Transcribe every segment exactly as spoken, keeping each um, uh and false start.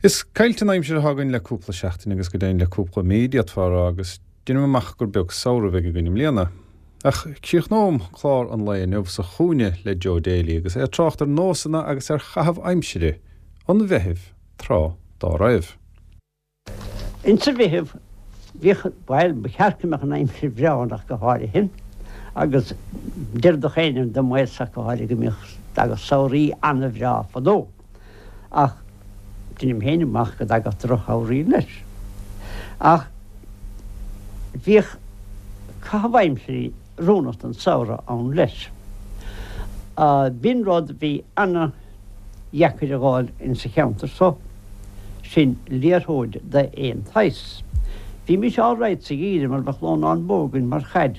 Is caillte an aimsir atá againn le cúpla seachtain agus go deimhin le cúpla mí, d'fhéadfá a rá, agus deinim amach gur beag samhradh a bheidh againn i mbliana. Ach críochnóm clár an lae inniu sa chúinne le Joe Daly agus é ag trácht ar nósanna agus ar chaitheamh aimsire an Mheithimh tráth dá raibh. Insa Mheitheamh, bhíodh, bhuel, ba cheart go mbeadh an aimsir bhreá ann ach go háirithe, agus deir gach éinne de m'aos ach go háirithe go mbíodh, dtagadh samhraí an-bhreá fadó. Ach deinim féin amach go dtagadh drochshamhraí leis. Ach bhíodh caitheamh aimsirí oiriúnach don samhradh ann leis. B'in rud a bhí ana-dheacair a dh'fháil insa cheantar so, sin liathróid d'aon tsaghas. Bhímis alright sa gheimhreadh mar bheadh lónán bó againn mar chaid.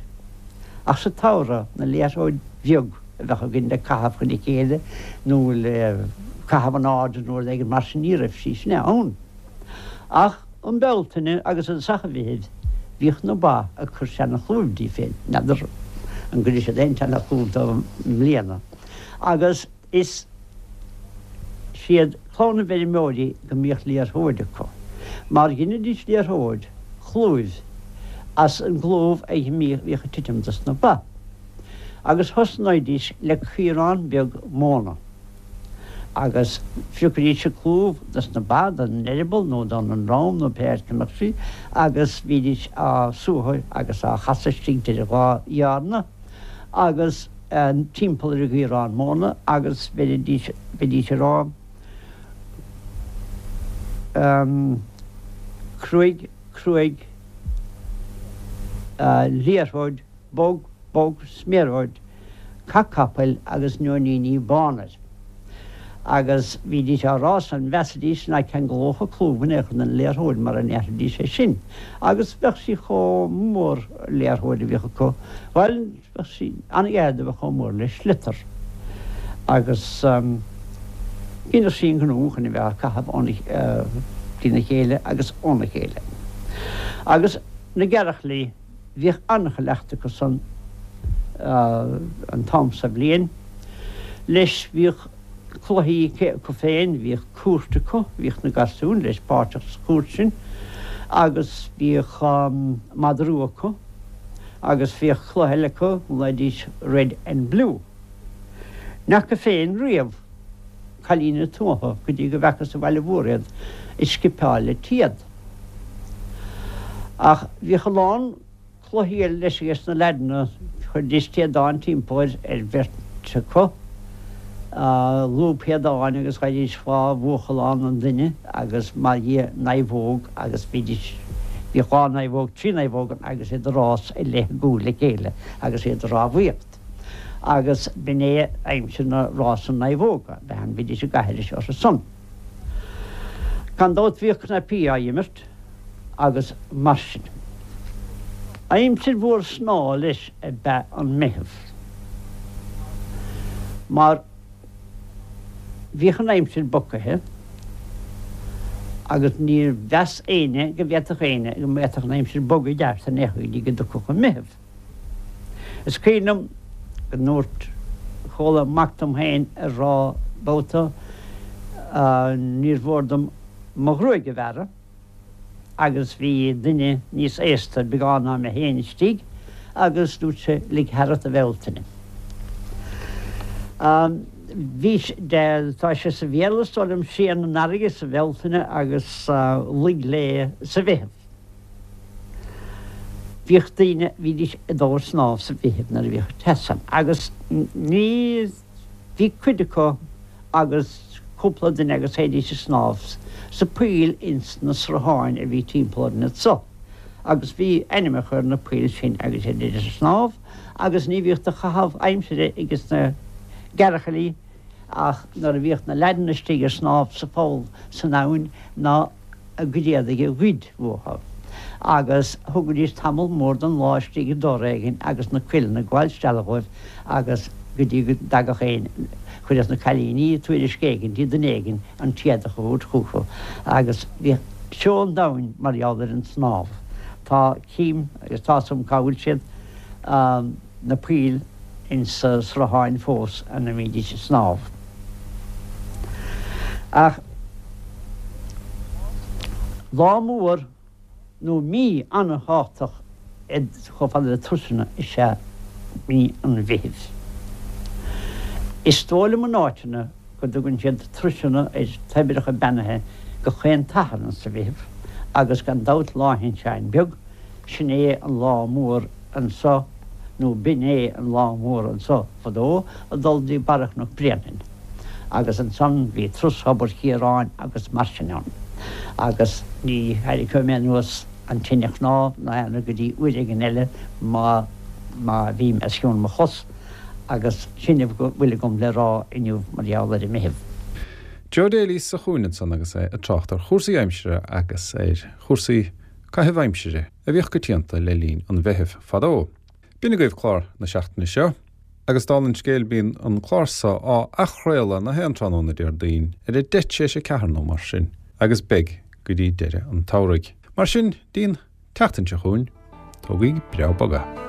Ach sa tsamhradh, na liathróid bheag, a bheadh againn le caitheamh chun a chéile nó le caitheamh in airde nó rud éigin mar sin, ní raibh sí sin ann. Ach um Bealtaine agus i dtosach an Mheithimh bhíodh na ba ag cur teannadh clúimh díobh féin, n'fheadar an gcuirfidh siad aon teannadh clúimh dóibh i mbliana, agus is siad clann na bhfeirmeoirí go mbíodh liathróid acu, mar dheinidís liathróid chlúimh as an gclúmh a bhíodh ag titim dos na ba. Agus thosnaídís le caorán beag móna, agus phiocaidís an clúmh dos na ba, don eireaball nó don ndroim nó pé áit go mbeadh sí, agus bhídís á suathadh agus á chasadh istigh idir dhá dhearna agus timpeall ar an gcaorán móna agus bheidís, bheidís ag rá, Cruaidh, cruaidh, liathróid. Bog, bog, sméaróid, cac capaill agus nóiníní bána air. Agus bhídís á rá san, mheasaidís ná ceanglódh an clúmh in aon chor den liathróid mara ndéarfaidís é sin. Agus bheadh sí chomh mór, an liathróid a bhíodh acu, bhuel, bheadh sí an-ghar do bheith chomh mór le sliotar. Agus dheineadh sí an gnó chun a bheith á caitheamh óna, trína chéile agus óna chéile. Agus na gearrchailí. Bhíodh an-chleachtadh acu san an t-am sa bhliain. Leis bhíodh cluichí acu féin, bhíodh cúirt acu, bhíodh na garsúin leis páirteach sa chúirt sin agus bhíodh madra rua acu agus bhíodh cluiche eile acu, ghlaoidís red and blue. N'fheaca féin riamh cailíní na tuaithe go dtí go bhfeacas sa bhaile mhór iad ag scipeáil le téad. Ach bhíodh a lán cluichí eile leis ages na leaideanna, chuiridís téadán timpeall ar bheirt acu, lúb théadáin agus ghabhaidís dhá bhuachallán an duine agus mar dhia naomhóg agus bhídís, bhíodh dhá naomhóg, trí naomhóg ann agus iad ag rás i leith a gcúil le chéile agus iad ag rámhaíocht. Agus b'in é aimsir na rása naomhóga, bhean, bhídís ag aithris orthu san. Gan dabht bhíodh cnaipí á imirt agus mar sin. Aimsir mhór snámha leis ab ea an Meitheamh mar bhíodh an aimsir bocaithe agus níor mheas éinne go bhféadfadh éinne go bhféadfadh an aimsir bogadh i gceart in aon chor go dtí go dtiocfadh an Meitheamh. Is cuimhin liom go ndúirt, chuala mac dom féin ag rá babhta, níor mhór dom mo ghruaig a bhearradh agus bhí duine níos aosta beagán ná mé féin istigh agus dúirt sé lig tharat a Bhealtaine. Bhí, tá sé sa Bhéarla is dóigh liom, séan an fharraige sa Bhealtaine agus luigh léi sa Mheitheamh. Bhíodh daoine, bhídís ag dul ag snámh sa Mheitheamh nuair a bhíodh an teas ann agus ní, bhí cuid acu agus cúpla duine agus théidís ag snámh sa poill ins na srutháin a bhí timpeall orainn anso agus bhí ainmneacha ar na poill sin agus théidís ag snámh agus ní bhíodh de chaitheamh aimsire ages na gearrchailí ach nuair a bhíodh na leaideanna istigh ag snámh sa pholl san abhainn ná a gcuid éadaigh a ghoid uathu, agus thugaidís tamall mór den lá istigh i dtor éigin agus na cuileanna ag gabháil isteach dhóibh agus go dtí go dtagadh éin, chuireadh na cailíní tuairisc éigin dtí duine éigin an t-éadach a thabhairt chucu agus bhíodh seó an domhain mar gheall ar an snámh. Tá, cím agus tá's agam cá bhfuil siad, na poill insa srutháin fós ina mbídís ag snámh. Ach Lá mór nó mí an-thábhachtach chomh fada le turasanna is ea mí an Mheithimh. Is dóigh liom in áiteanna go dtugann siad turasanna ar toibreacha beannaithe go chaon tSatharn sa Mheitheamh agus gan dabht Lá Shin Sheáin Beag, sin é an lá mór anso nó b'in é an lá mór anso fadó ag dul dtí Barra Chnoc Bréanainn agus ansan bhí turas Thobar Chiaráin agus mar sin ann agus ní tharraiceoidh mé anuas an tine chnámh ná aon rud go dtí uair éigin eile má má bhím os cionn mo chos. Agus sin a bhfuil agam le rá inniu mar gheall ar an Meitheamh. Joe Daly sa chúinne ansan agus é ag trácht ar chúrsaí aimsire agus ar chúrsaí caitheamh aimsire a bhíodh coitianta le linn an Mheithimh fadó. B'in agaibh clár na seachtaine seo, agus dála an scéil bíonn an clár seo á athchraoladh na haon tráthnóna Déardaoin ar a deich tar éis a ceathair nó mar sin, agus beidh go dtí deireadh an tsamhraidh. Mar sin, dtí'n tseachtain seo chugainn, tógaigí breá bog é.